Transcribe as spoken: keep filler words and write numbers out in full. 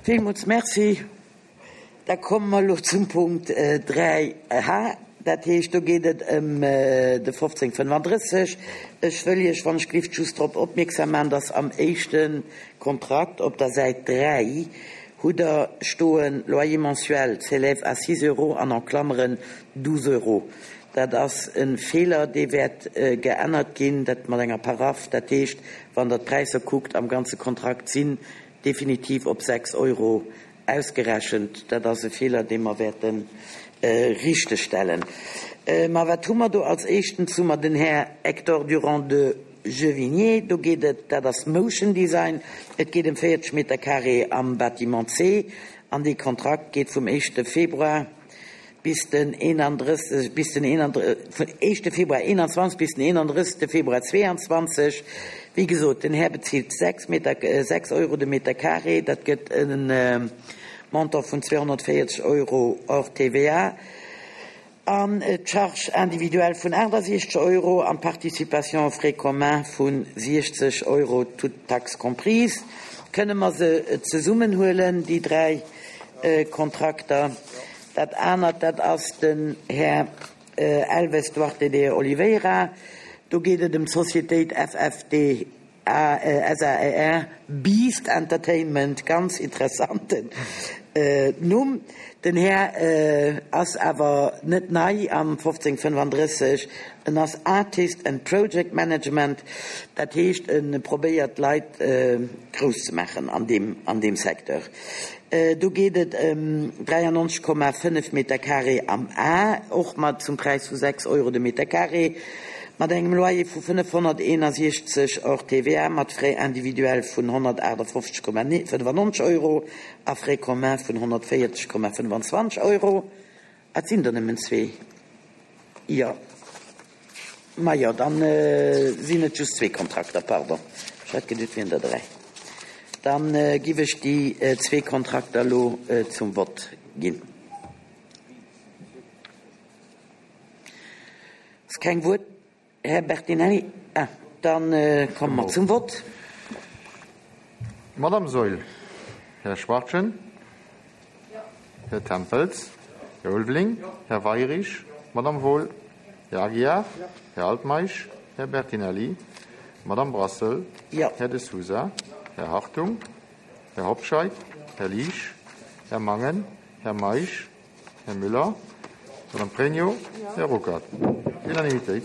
Villmools Merci. Da komme mer elo zum Punkt dräi H. Dat heescht, do geet et ëm de fofzéng fënnefandrësseg. Ech wëll Iech, wann ech glift, just drop opmierksam maachen, dass am éischte Kontrakt op der Säit dräi hutt Der stoen, Loyer mensuel s'élève à six euros an en Klammeren douze euros. Dat ass e Feeler, dee wäert geännert ginn, dat mat enger Paraph. Dat heescht, wann Der d'Präisser kuckt am ganze Kontrakt, sinn definitiv op sechs Euro ausgerechent. Dat ass e Feeler, dee mer wäerte richtegstellen. Ma wat hu mer do? Als éischtens hu mer den Här Hector Durand de Jevigné. Do geet et, dat ass Motion Design, et geet ëm véierzeg Meter carré am Bâtiment C an dee Kontrakt geet vum éischte Februar bis den eenandrësseg, bis den vun éischte Februar eenanzwanzeg bis den eenandrëssegste Februar zweeanzwanzeg. Wéi gesot, den Här bezilt sechs Meter, sechs Euro de Meter carré, dat gëtt e Montant vun zweehonnertvéierzeg Euro hors T V A an d'Charge individuelle vun aachtasechzeg Euro an d'Participation aux frais communs vu siechzeg Euro, toutes taxes comprises. Kënne mer se zesummenhuelen, déi dräi Kontrakter? Dat anert, dat ass den Här Elves Duarte de Oliveira. Do geet et ëm d'Societéit F F D S A R Beast Entertainment, ganz interessanten Numm. Den Här ass awer net nei am fofzéng fënnefandrësseg. En ass Artist and Project Management, dat heescht, e probéiert Leit grouss ze maachen an deem an deem Secteur. Do geet et ëm dräiannonzeg Komma fënnef Meter carré am A, och mat zum Präis vu sechs Euro de Meter carré, mat engem Loyer vu fënnefhonnerteenasechzeg hors T V A, mat Frais individuels vun honnertaachtafoffzeg Komma fënnefannonzeg Euro a Frais communs vun honnertvéierzeg Komma fënnefenzwanzeg Euro. Et sinn der nëmmen zwee. Jo. Ma jo, dann sinn et just zwee Kontrakter, pardon. Ech hat geduet, et wieren der dräi. Dann giff ech déi zwee Kontrakter elo zum Vott ginn. Ass keng Wuert, Här Bertinelli? Ah, dann komme mer zum Vott. Madame Saeul, Här Schwachtgen, Här Tempels, Här Ulveling, Här Weyrich, Madame Wohl, Här Aguiar, Här Altmeisch, Här Bertinelli, Madame Brassel, Här De Sousa, Här Hartung, Här Hobscheit, Här Liesch, Här Mangen, Här Meisch, Här Müller, Madame Pregno, Här Ruckert. Unanimitéit.